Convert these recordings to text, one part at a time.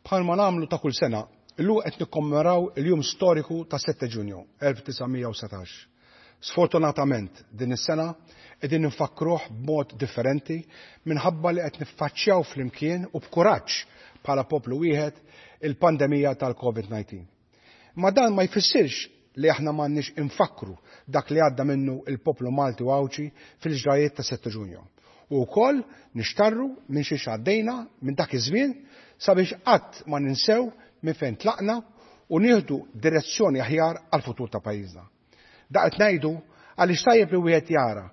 Bħalma nagħmlu ta' kull sena, illum qed nikkommemoraw il-jum storiku ta' 7 Ġunju 1919. Sfortunatament din is-sena qegħdin nfakkruh b'mod differenti minħabba li qed niffaċċjaw flimkien u b'kuraġġ bħala poplu wieħed il-pandemija tal-COVID-19. Ma dan ma jfissirx li aħna m'għandniex infakkru dak li għadda minnu il-poplu Malti u Għawdxi fil-ġrajiet ta' 7 Ġunju. U wkoll nixtarru minn xiex għaddejna minn dak iż-żmien sabiex qatt ma ninsew minn fejn tlaqna u nieħdu direzzjoni aħjar għal-futur ta' pajjiżna. Da qed ngħidu għaliex tajjeb li wieħed jara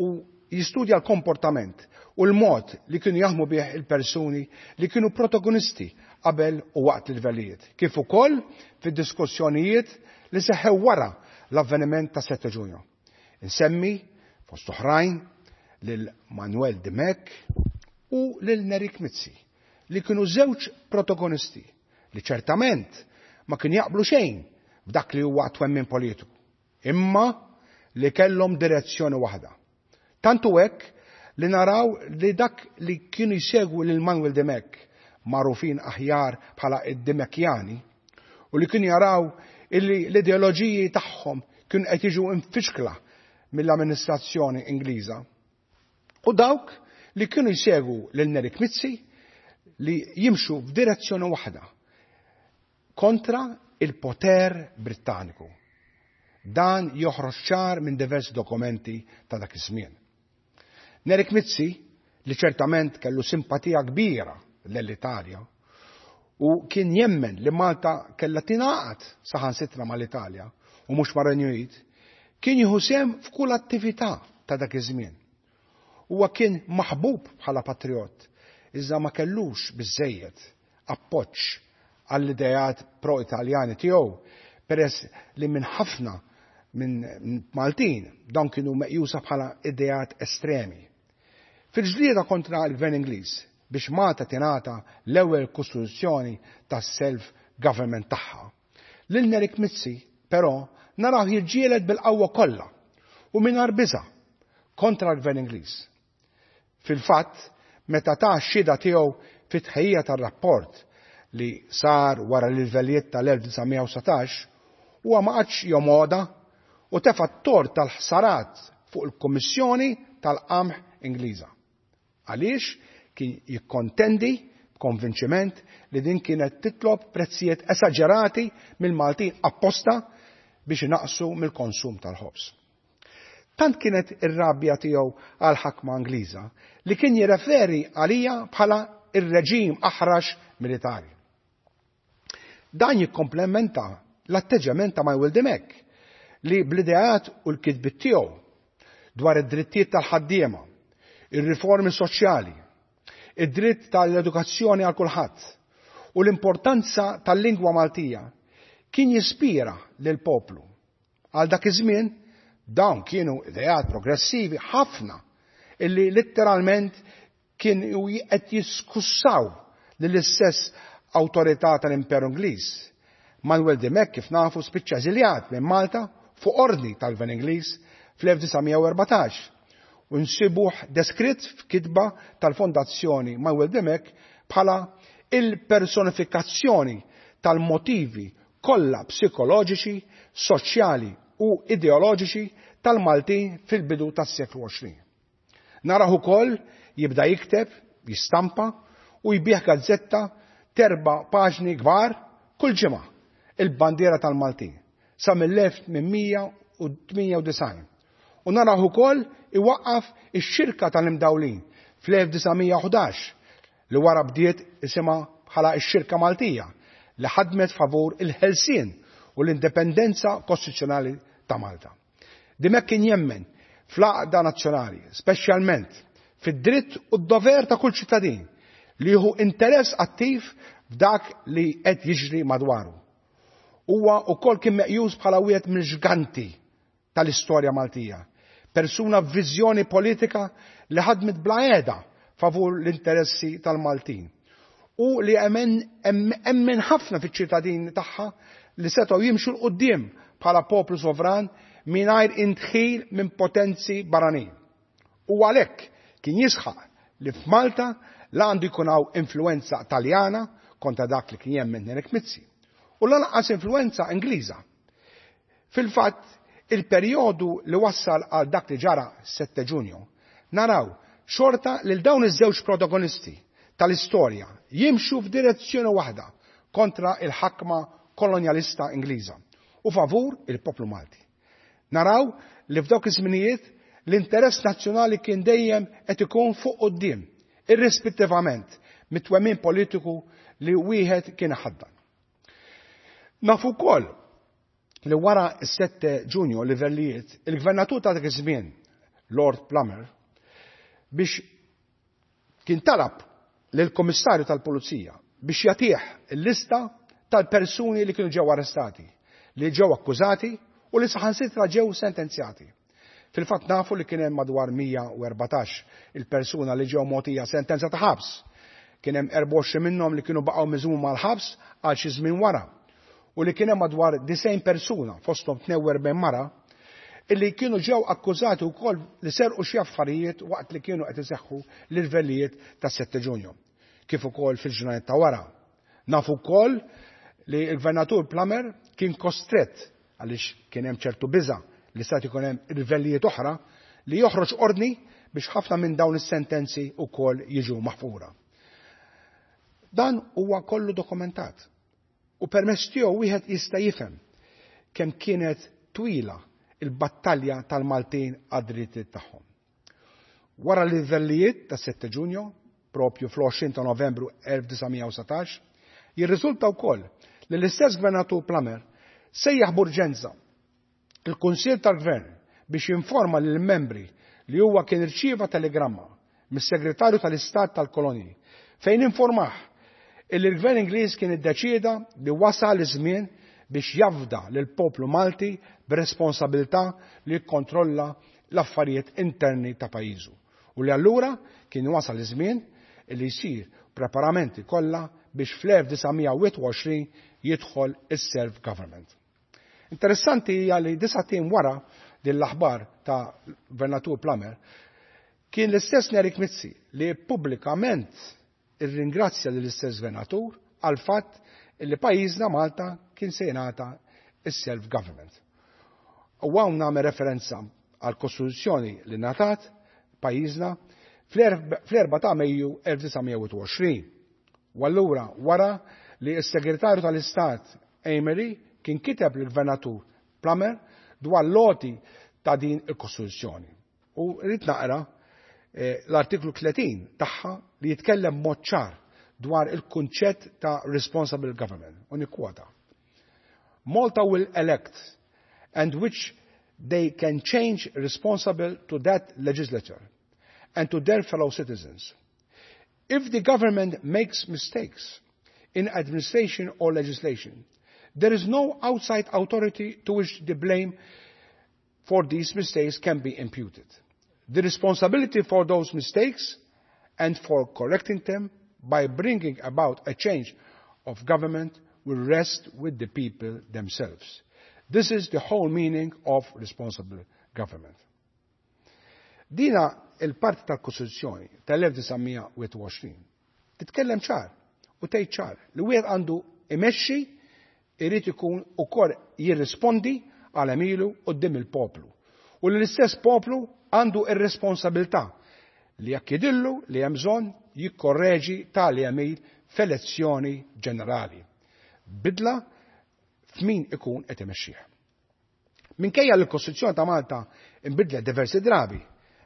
u jistudja l-komportament u l-mod li kienu jaħdmu bih il-persuni li kienu protagonisti qabel u waqt il-livellijiet, kif ukoll fid-diskussjonijiet li seħħew wara l-avveniment ta' 7 Ġunju. Insemmi fost oħrajn lil Manuel Dimech u lil Nerik Mizzi li kienu żewġ protagonisti li ċertament ma kien jaqblu xejn f'dak li huwa twemmin politiku, imma li kellhom direzzjoni waħda. Tantu hekk li naraw li dak li kienu jsegwu lil Manuel Dimech magħrufin aħjar bħala id-Dimekjani u li kienu jaraw illi l-ideoloġiji tagħhom kienu qed jiġu imfixkla mill-amministrazzjoni Ingliża. U dawk li kienu jsegwu lil Nerik Mizzi li jimxu f'direzzjoni waħda kontra il-poter Brittaniku. Dan joħroġ ċar minn diversi dokumenti ta' dak iż-żmien. Nerik Mizzi, li ċertament kellu simpatija kbira l-Italja, u kien jemmen li Malta kellha tingħaqad saħansitra mal-Italja u mhux mar-Renju Unit, kien jieħu sehem f'kull attività ta' dak iż-żmien. Huwa kien maħbub bħala patriot, iżda ma kellux biżejjed appoġġ għall-ideat pro-Italjani tiegħu peress li minn ħafna minn Maltin dawn kienu meqjusa bħala ideat estremi. Fil-ġlieda kontra l-Gvern Ingliż biex Malta tingħata l-ewwel kostituzzjoni tas-self-government tagħha. Lil Nerik Mizzi, però, naraw jiġġieled bil-qawwa kollha u mingħajr biża' kontra l-Gvern Ingliż. Fil-fatt, meta ta x-xhieda tiegħu fit-tħejjija tar-rapport li sar wara l-irvellijiet tal-1919, huwa ma qagħadx jomoda u tefa' t-tort tal-ħsarat fuq il-Kummissjoni tal-Qamħ Ingliża. Għaliex kien jikkontendi b'konvinċiment li din kienet titlob prezzijiet esaġerati mill-Maltin apposta biex inaqqsu mill-konsum tal-ħobż. Tant kienet ir-rabja tiegħu għal ħakma Ingliża li kien jirreferi għalija bħala ir-reġim aħrax militari. Dan jikkomplementa l-atteġġament ta' Manuel Dimech li bl-ideat u l-kitbit tiegħu dwar id-drittijiet tal-ħaddiema, ir-riformi soċjali, id-dritt tal-edukazzjoni għal kulħadd u l-importanza tal-lingwa Maltija kien jispira lil poplu. Għal dak iż-żmien dawn kienu ideat progressivi ħafna illi letteralment kienu qed jiskussaw lill-istess awtorità tal-Imperu Ingliż. Manuel Dimech kif nafu spiċċa eżiljat minn Malta fuq ordni tal-Gvern Ingliż fl-1914 u nsibuh deskritt f'kitba tal-Fondazzjoni Manuel Dimech bħala il-personifikazzjoni tal-motivi kollha psikoloġiċi, soċjali u ideoloġiċi tal-Maltin fil-bidu tas-seklu 20. Naraħ ukoll jibda jikteb, jistampa u jbigħ gazzetta t'erba' paġni kbar kull ġimgħa, il-bandiera tal-Maltin, sa mill-1898. U naraħ ukoll iwaqqaf ix-xirka tal-imdawlin fl-1911 li wara bdiet isimha bħala x-Xirka Maltija li ħadmet favur il-ħelsien u l-indipendenza kostituzzjonali ta' Malta. Dimech kien jemmen fl-għaqda nazzjonali, speċjalment fid-dritt u d-dover ta' kull ċittadin li jieħu interess attiv f'dak li qed jiġri madwaru. Huwa wkoll kien meqjus bħala wieħed mill-ġganti tal-istorja Maltija. Persuna b'viżjoni politika li ħadmet bla heda favur l-interessi tal-Maltin u li emmen ħafna fiċ-ċittadini tagħha li setgħu jimxu 'l quddiem bħala poplu sovran mingħajr indħil minn potenzi barranin. U għalhekk kien jisħaq li f'Malta la għandu jkun hawn influenza Taljana, kontra dak li kien jemmen Nerik Mizzi, u lanqas influenza Ingliża. Fil-fatt, il-perjodu li wassal għal dak li ġara 7 Ġunju, naraw xorta lil dawn iż-żewġ protagonisti tal-istorja jimxu f'direzzjoni waħda kontra il-ħakma kolonjalista Ingliża u favur il-poplu Malti. Naraw li f'dawk iż-żminijiet l-interess nazzjonali kien dejjem qed ikun fuq quddiem, irrispettivament mit-twemmin politiku li wieħed kien ħaddan. Nafu wkoll li wara s-7 Ġunju livellijiet, il-gvernatur ta' dak iż-żmien, Lord Plummer, biex kien talab lill-Kummissarju tal-Pulizija biex jagħtih il-lista tal-persuni li kienu ġew arrestati, li ġew akkużati u li saħansitra ġew sentenzjati. Fil-fatt nafu li kien hemm madwar 114 il-persuna li ġew mogħtija sentenza ta' ħabs. Kien hemm 24 minnhom li kienu baqgħu miżmuma mal-ħabs għal xi żmien wara. U li kien hemm madwar 90 persuna fosthom 42 mara illi kienu ġew akkużati wkoll li serqu xi affarijiet waqt li kienu qed iseħħu l-irvellijiet tas-7 Ġunju, kif ukoll fil-ġranet ta' wara. Nafu wkoll li l-Gvernatur Plummer kien kostrett għaliex kien hemm ċertu biża' li stat ikun hemm irvellijiet oħra li joħroġ ordni biex ħafna minn dawn is-sentenzi wkoll jiġu maħfura. Dan huwa kollu dokumentat u permezz tiegħu wieħed jista' jifhem kemm kienet twila il-battalja tal-Maltin għad-drittijiet tagħhom. Wara l-irvellijiet ta' 7 Ġunju, propju fl-20 ta' Novembru 1919, jirriżulta wkoll li l-istess Gvernatur Plummer sejjaħ b'urġenza il-Kunsill tal-Gvern biex jinforma lill-membri li huwa kien irċieva telegramma mis-Segretarju tal-Istat tal-Kolonji fejn informah illi l-Gvern Ingliż kien iddeċieda li wasal iż-żmien biex jafda lill-poplu Malti b'responsabilità li jikkontrolla l-affarijiet interni ta' pajjiżu u li allura kien wasal iż-żmien li jsir preparamenti kollha biex fl-1921 jidħol is-self-government. Interessanti hija li 9 ijiem wara din l-aħbar ta' Gvernatur Plummer kien l-istess Nerik Mizzi li pubblikament irringrazzja lill-istess gvernatur għal fatt li pajjiżna Malta kien se jingħata is-self-government. U hawn nagħmel referenza għal kostituzzjoni li ngħatat pajjiżna fl-4 ta' Mejju 1921. U allura wara li s-Segretarju tal-Istat Amery kien kiteb lill-Gvernatur Plummer dwar l-għoti ta' din il-Kostituzzjoni. U rrid naqra l-artiklu 30 tagħha li jitkellem mod ċar dwar il-kunċett ta' responsible government. U nikkwota. Malta will elect and which they can change responsible to that legislature and to their fellow citizens. If the government makes mistakes in administration or legislation, there is no outside authority to which the blame for these mistakes can be imputed. The responsibility for those mistakes and for correcting them by bringing about a change of government will rest with the people themselves. This is the whole meaning of responsible government. Dina il-parti tal-Kostituzzjoni tal-1921 titkellem ċar u tgħid ċar li wieħed għandu imexxi irid ikun ukoll jirrispondi għal għemilu quddiem il-poplu. U li l-istess poplu għandu ir-responsabilità li jekk jidhirlu li hemm bżonn jikkorreġi tali għemil f'elezzjoni ġenerali. Bidla f'min ikun qed imexxih. Minkejja l-Kostituzzjoni ta' Malta inbidlet diversi drabi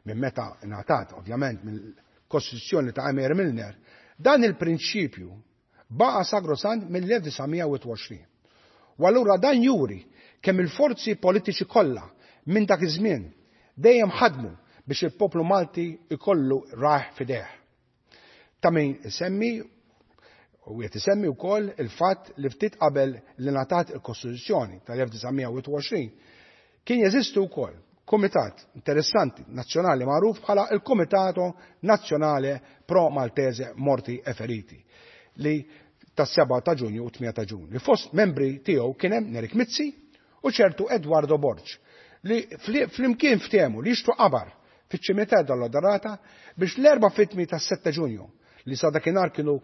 minn meta ngħatat ovvjament mill-Kostituzzjoni ta' Amery Milner, dan il-prinċipju baqa' sagrosant mill-1921. U allura dan juri kemm il-forzi politiċi kollha minn dak iż-żmien dejjem ħadmu biex il-poplu Malti ikollu rajh f'idejh. Ta' min isemmi u qed isemmi wkoll il-fatt li ftit qabel li ngħatat il-Kostituzzjoni tal-1921 kien jeżistu wkoll kumitat interessanti nazzjonali magħruf bħala il-Comitato Nazionale Pro Maltese Morti e Feriti li tas-7 ta' Ġunju u 8 ta' Ġunju. Li fost membri tiegħu kien hemm Nerik Mizzi u ċertu Eduardo Borg li flimkien ftehmu li jixtru qabar fiċ-ċimiterju dell-Odorata biex l-erba' vittmi tas-7 Ġunju li sa dakinhar kienu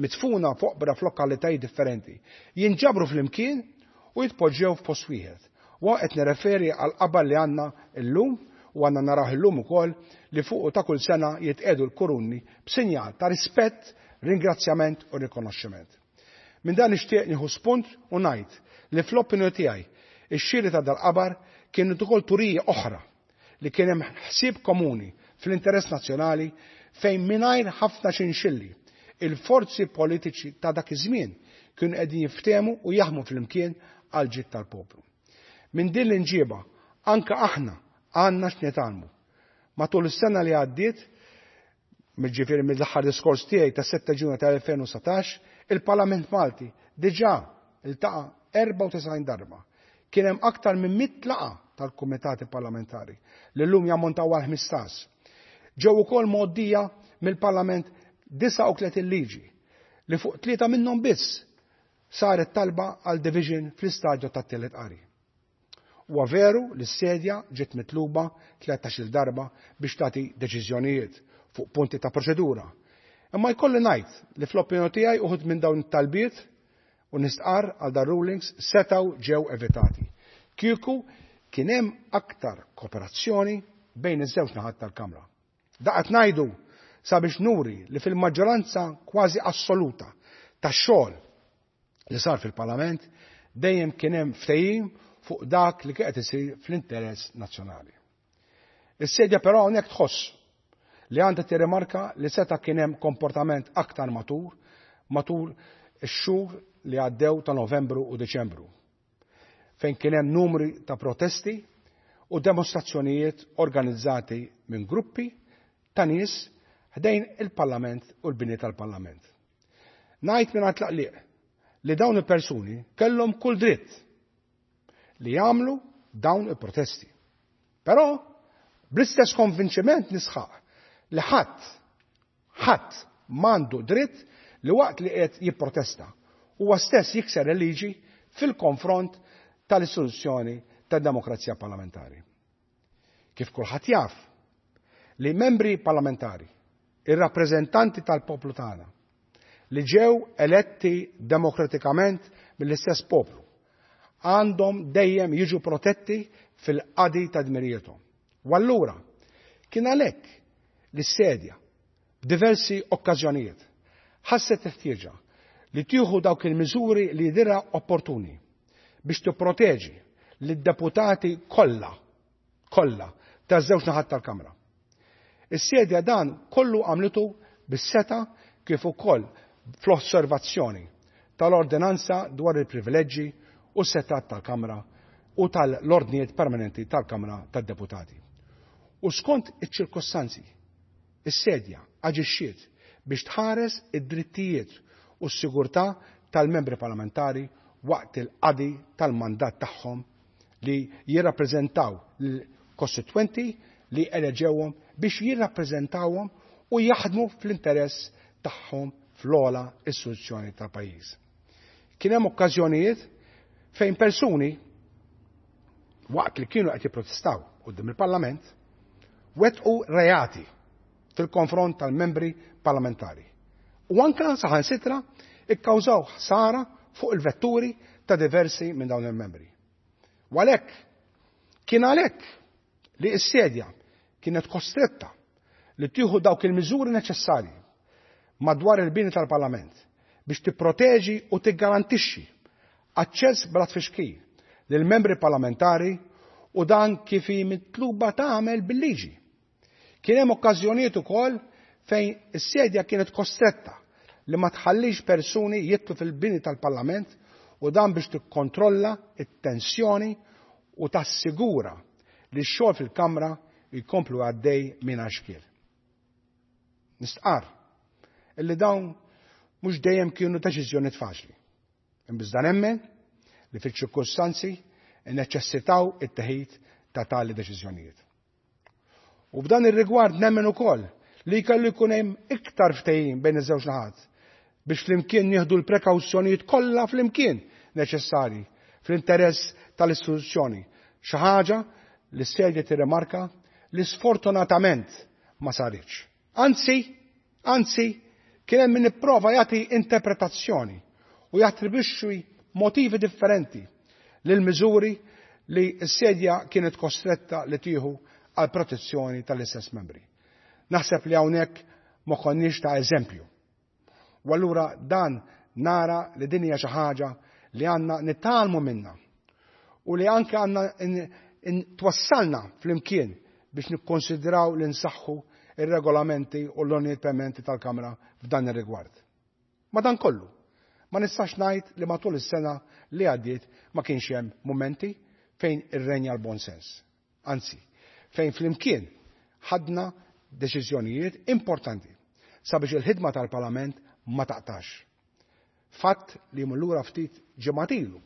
Midfuna f'oqbra f'lokalitajiet differenti, jinġabru flimkien u jitpoġġew f'post wieħed. U hawn qed nirreferi għall-qabar li għandna llum u għandna narawh illum ukoll li fuqu ta' kull sena jitqiegħdu l-kuruni b'sinjal ta' rispett, ringrazzjament u rikonoxximent. Minn dan nixtieq nieħu spunt u ngħid li fl-opinjoni tiegħi ix-xiri ta' dal-qabar kienet ukoll turija oħra li kien hemm ħsieb komuni fl-interess nazzjonali fejn mingħajr ħafna xinxilli, il-forzi politiċi ta' dak iż-żmien kienu qegħdin jiftehmu u jaħdmu flimkien għall-ġid tal-poplu. Minn din l-imġiba anke aħna għandna x'nitgħallmu. Matul is-sena li għaddiet, ġifieri mill-aħħar diskors tiegħi tas-7 Ġunju tal-2019, il-Parlament Malti diġà iltaqa' 94 darba. Kien hemm aktar minn 100 laqgħa tal-kumitati parlamentari li llum jammontaw għal 15. Ġew ukoll mgħoddija mill-Parlament 39 liġi li fuq tlieta minnhom biss saret talba għal division fl-istadju tat-tielet qari. Huwa veru li s-sedja ġiet mitluba 13-il darba biex tagħti deċiżjonijiet fuq punti ta' proċedura. Imma jkolli ngħid li fl-opinjoni tiegħi uħud minn dawn it-talbiet u nistqarr għal dar rulings setgħu ġew evitati. Kieku kien hemm aktar kooperazzjoni bejn iż-żewġ naħat tal-Kamra. Daqat ngħidu sabiex nuri li fil-maġġoranza kważi assoluta tax-xogħol li sar fil-Parlament dejjem kien hemm ftehim fuq dak li qed isir fl-interess nazzjonali. Is-sedja però hawnhekk tħoss li għandha tirrimarka li seta' kien hemm komportament aktar matur matul ix-xhur li għaddew ta' Novembru u Deċembru, fejn kien hemm numri ta' protesti u demonstrazzjonijiet organizzati minn gruppi ta' nies ħdejn il-Parlament u l-bini tal-Parlament. Ngħid mingħajr tlaqliq li dawn il-persuni kellhom kull dritt li jagħmlu dawn il-protesti. Però bl-istess konvinċiment nisħaq li ħadd ħadd m'għandu dritt li waqt li qed jipprotesta huwa stess jikser il-liġi fil-konfront tal-istituzzjoni tad-demokrazija parlamentari. Kif kulħadd jaf li membri parlamentari, ir-rappreżentanti tal-poplu tagħna, li ġew eletti demokratikament mill-istess poplu, għandhom dejjem jiġu protetti fil-qadi ta' dmirijiethom. U allura, kien għalhekk li s-sedja f'diversi okkażjonijiet ħasset ħtieġa li tieħu dawk il-miżuri li jidhirha opportuni biex tipproteġi lid-deputati kollha kollha taż-żewġ naħat tal-Kamra. Is-sedja dan kollu għamlitu bis-setgħa kif ukoll fl-osservazzjoni tal-ordinanza dwar il-privileġġi u s-setgħat tal-Kamra u tal-ordnijiet permanenti tal-Kamra tad-Deputati. U skont iċ-ċirkostanzi, is-sedja aġixxiet biex tħares id-drittijiet u s-sigurtà tal-membri parlamentari waqt il-qadi tal-mandat tagħhom li jirrappreżentaw l-kostitwenti li eleġewhom biex jirrappreżentawhom u jaħdmu fl-interess tagħhom fl-ogħla istituzzjoni tal-pajjiż. Kien hemm okkażjonijiet fejn persuni waqt li kienu qed jipprotestaw quddiem il-Parlament wettqu reati fil-konfront tal-membri parlamentari. U anka saħansitra ikkawżaw ħsara fuq il-vetturi ta' diversi minn dawn il-membri. U għalhekk kien għalhekk li s-sedja kienet kostretta li tieħu dawk il-miżuri neċessarji madwar il-bini tal-Parlament biex tipproteġi u tiggarantixxi aċċess bla tfixkil lil membri parlamentari u dan kif hi mitluba tagħmel bil-liġi. Kien hemm okkażjonijiet ukoll fejn is-sedja kienet kostretta li ma tħallix persuni jidħlu fil-bini tal-Parlament u dan biex tikkontrolla it-tensjoni u tassigura li x-xogħol fil-Kamra jkomplu għaddej mingħajr xkiel. Nistqar illi dawn mhux dejjem kienu deċiżjonijiet faċli. Iżda nemmen li fil-ċirkustanzi neċessitaw it-teħid ta' tali deċiżjonijiet. U f'dan ir-rigward nemmen ukoll li kellu jkun hemm iktar ftehim bejn iż-żewġ naħat biex flimkien nieħdu l-prekawzjonijiet kollha flimkien neċessarji fl-interess tal-istituzzjoni. Xi ħaġa li s-sedja tirrimarka li sfortunatament ma saritx. Anzi, anzi, kien hemm Kien hemm min ipprova jagħti interpretazzjoni u jattribwixxi motivi differenti lil miżuri li s-sedja kienet kostretta li tieħu għal protezzjoni tal-istess membri. Naħseb li hawnhekk ma konniex ta' eżempju. U allura dan nara li din hija xi ħaġa li għandna nitgħallmu minnha u li anke għandna twassalna flimkien biex nikkonsidraw li nsaħħu ir-regolamenti u l-ordnijiet permanenti tal-Kamra f'dan ir-rigward. Madankollu, ma nistax ngħid li matul is-sena li għaddiet ma kienx hemm mumenti fejn irrenja l-bon sens. Anzi, fejn flimkien ħadna deċiżjonijiet importanti sabiex il-ħidma tal-Parlament ma taqtax. Fatt li jmur lura ftit ġimgħat ilu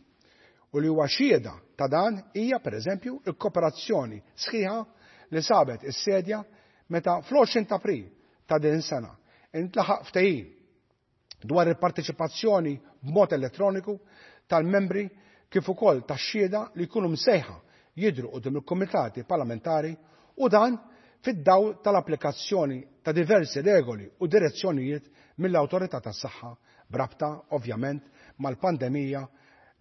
u li huwa xhieda ta' dan hija pereżempju il-kooperazzjoni sħiħa li sabet is-sedja meta fl-20 ta' April ta' din is-sena intlaħaq ftehim dwar il-parteċipazzjoni b'mod elettroniku tal-membri kif ukoll tax-xhieda li jkunu msejħa jidhru quddiem il-kumitati parlamentari u dan fid-dawl tal-applikazzjoni ta' diversi regoli u direzzjonijiet mill-Awtorità tas-Saħħa b'rabta ovvjament mal-pandemija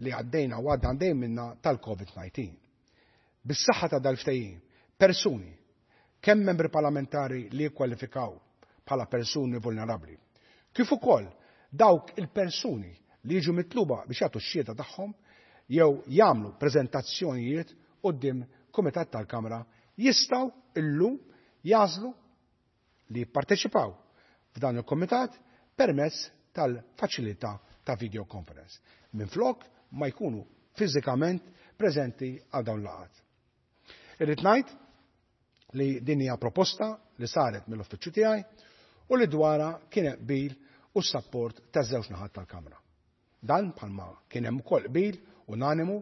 li għaddejna u għadna għaddejn minna tal-COVID-19. Bis-saħħa ta' dal-ftehim, persuni, kemm membri parlamentari li jikkwalifikaw bħala persuni vulnerabbli, kif ukoll dawk il-persuni li jiġu mitluba biex jagħtu x-xhieda tagħhom jew jagħmlu preżentazzjonijiet quddiem Kumitat tal-Kamra jistgħu illum jagħżlu li jipparteċipaw f'dan il-kumitat permezz tal-faċilità ta' video conference minflok ma jkunu fiżikament preżenti għal dawn il-laqgħat. Irrid ngħid li din hija proposta li saret mill-uffiċċju tiegħi u li dwarha kien hemm qbil u s-sapport taż-żewġ naħat tal-Kamra. Dan bħalma kien hemm ukoll qbil unanimu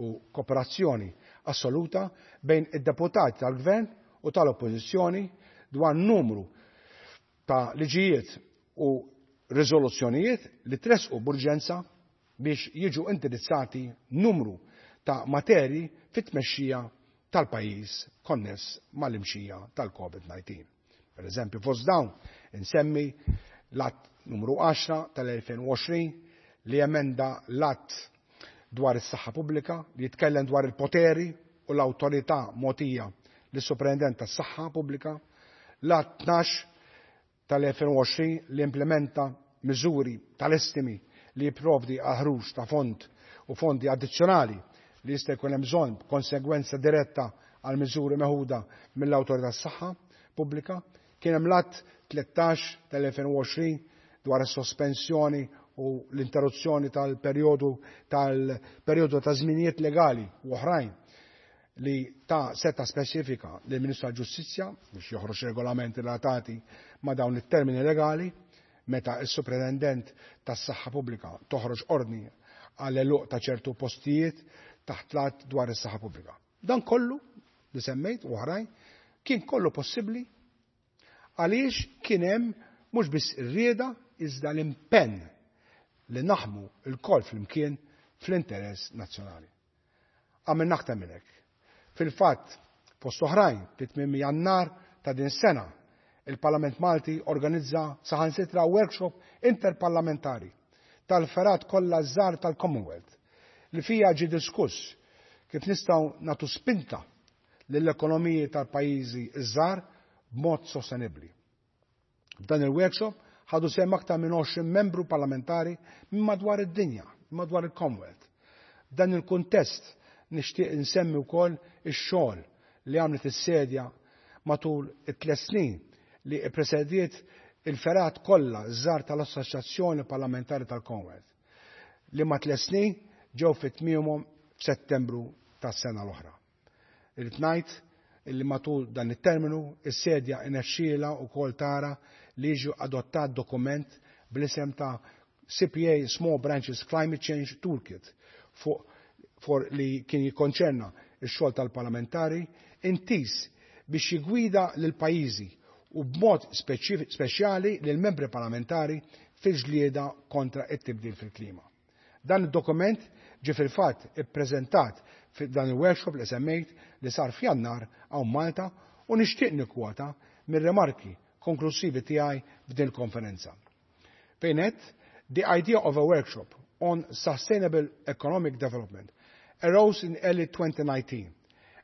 u kooperazzjoni assoluta bejn id-deputati tal-Gvern u tal-Oppożizzjoni dwar numru ta' liġijiet u riżoluzzjonijiet li tressqu b'urġenza biex jiġu indirizzati numru ta' materji fit-tmexxija tal-pajjiż konness mal-imxija tal-COVID-19. Per eżempju, fost dawn insemmi l-Att numru 10 tal-2020 li emenda l-Att dwar is-Saħħa Pubblika li jitkellem dwar il-poteri u l-awtorità mogħtija lis-Superintendent tas-Saħħa Pubblika, l-Att 12 tal-2020 li implementa miżuri tal-estimi li jipprovdi għal ħruġ ta' fond u fondi addizzjonali li jista' jkun hemm bżonn b'konsegwenza diretta għal miżuri meħuda mill-Awtorità tas-Saħħa Pubblika. Kien hemm l-Att 13 tal-2020 dwar is-sospensjoni u l-interruzzjoni tal-perjodu tal-perjodu ta' żminijiet legali u oħrajn li ta' seta speċifika lill Ministru tal-Ġustizzja biex joħroġ regolamenti relatati ma' dawn it-termini legali meta s-Supretendent tas-Saħħa Pubblika toħroġ ordni għal għeluq ta' ċertu postijiet taħt l-Att dwar is-Saħħa Pubblika. Dan kollu li semmejt u oħrajn kien kollu possibbli għaliex kien hemm mhux biss ir-rieda iżda l-impenn li naħmu lkoll flimkien fl-interess nazzjonali. Għamilna aktar minn hekk. Fil-fatt, fost oħrajn, fi tmiem Jannar ta' din is-sena, il-Parlament Malti organizza saħansitra workshop interparlamentari tal-fergħat kollha ż-żgħar tal-Commonwealth li fiha ġie diskuss kif nistgħu nagħtu spinta lill-ekonomiji tal-pajjiżi ż-żgħar b'mod sostenibbli. F'dan il-workshop ħadu sehem aktar minn 20 membru parlamentari minn madwar id-dinja, minn madwar il-Commonwealth. F'dan il-kuntest nixtieq insemmi wkoll ix-xogħol li għamlet is-Sedja matul it-tliet snin li ppresediet il-fergħat kollha ż-żgħar tal-Assoċjazzjoni Parlamentari tal-Commonwealth, liema tliet snin ġew fi tmiemhom f'Settembru tas-sena l-oħra. Irrid ngħid illi matul dan it-terminu is-Sedja inexxielha wkoll tara li jiġi adottat dokument bl-isem ta' CPA Small Branches Climate Change Toolkit fuq for li kien jikkonċerna x-xogħol tal-parlamentari intiż biex jiggwida lill-pajjiżi u b'mod speċjali lill-membri parlamentari fil-ġlieda kontra t-tibdil fil-klima. Dan id-dokument ġie fil-fatt ippreżentat f'dan il-workshop li semmejt li sar f'Jannar hawn Malta u nixtieq nikkwota mir-rimarki konklusivi tiegħi f'din il-konferenza. Fejn għedt, "The idea of a workshop on sustainable economic development arose in early 2019,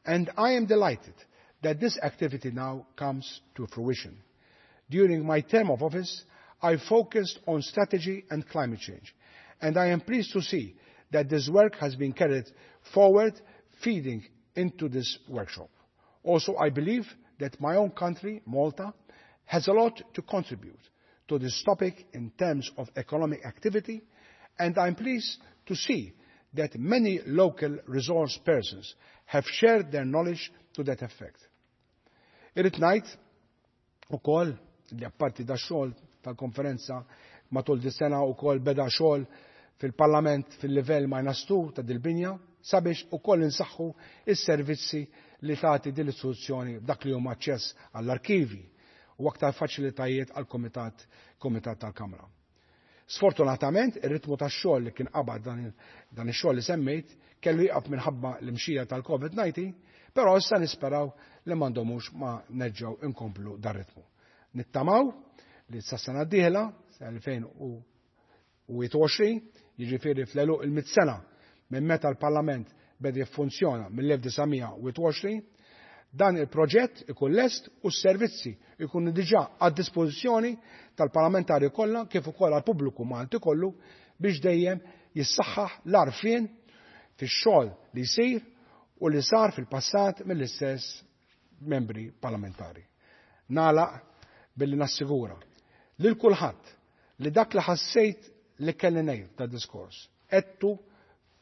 and I am delighted that this activity now comes to fruition. During my term of office, I focused on strategy and climate change, and I am pleased to see that this work has been carried forward, feeding into this workshop. Also, I believe that my own country, Malta, has a lot to contribute to this topic in terms of economic activity, and I'm pleased to see that many local resource persons have shared their knowledge to that effect." Irrid ngħid ukoll li apparti da xogħol tal-konferenza matul di sena ukoll beda xogħol fil-Parlament fil-livell minus 2 ta' dil-binja sabiex ukoll insaħħu is-servizzi li tagħti din l-istituzzjoni dak li huma aċċess għall-arkivi u aktar faċilitajiet għal komitat tal-Kamra. Sfortunatament, ir-ritmu tax-xogħol li kien qabad dan ix-xogħol li semmejt kellu jieqaf minħabba l-imxija tal-COVID-19, però issa nisperaw li m'għandhomux ma nerġgħu inkomplu dar ritmu. Nittamaw li sa sena d-dieħla, 2021, jiġifieri fl-għeluq il-100 sena minn meta l-Parlament beda jiffunzjona mill-1921, dan il-proġett ikun lest u s-servizzi ikunu diġà għad dispożizzjoni tal-parlamentari kollha kif ukoll għall-pubbliku Malti kollu biex dejjem jissaħħaħ l-għarfien fix-xogħol li jsir u li sar fil-passat mill-istess membri parlamentari. Nagħlaq billi nassigura lil kulħadd li dak li ħassejt li kelli ngħid ta' diskors għedtu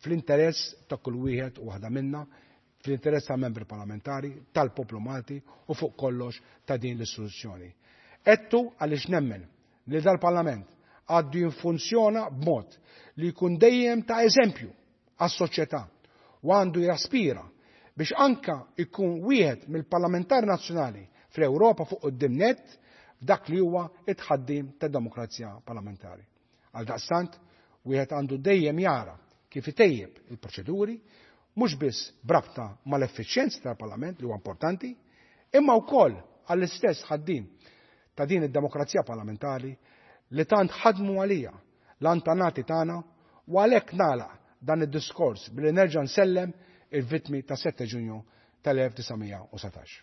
fl-interess ta' kull wieħed u waħda minna, fl-interess ta' membri parlamentari, tal-poplu Malti u fuq kollox ta' din l-istituzzjoni. Għedtu għaliex nemmen li dal-Parlament għandu jiffunzjona b'mod li jkun dejjem ta' eżempju għas-soċjetà u għandu jaspira biex anka jkun wieħed mill-parlamentari nazzjonali fl-Ewropa fuq quddiem nett f'dak li huwa it-tħaddim ta' demokrazija parlamentari. Għal daqstant, wieħed għandu dejjem jara kif itejjeb il-proċeduri, mhux biss b'rabta mal-effiċjenza tal-Parlament li huwa importanti, imma wkoll għall-istess ħaddim ta' din id-demokrazija parlamentari li tant ħadmu għalija l-antenati tagħna u għalhekk nagħlaq dan id-diskors billi nerġa' nsellem il-vittmi ta' 7 Ġunju tal-1917.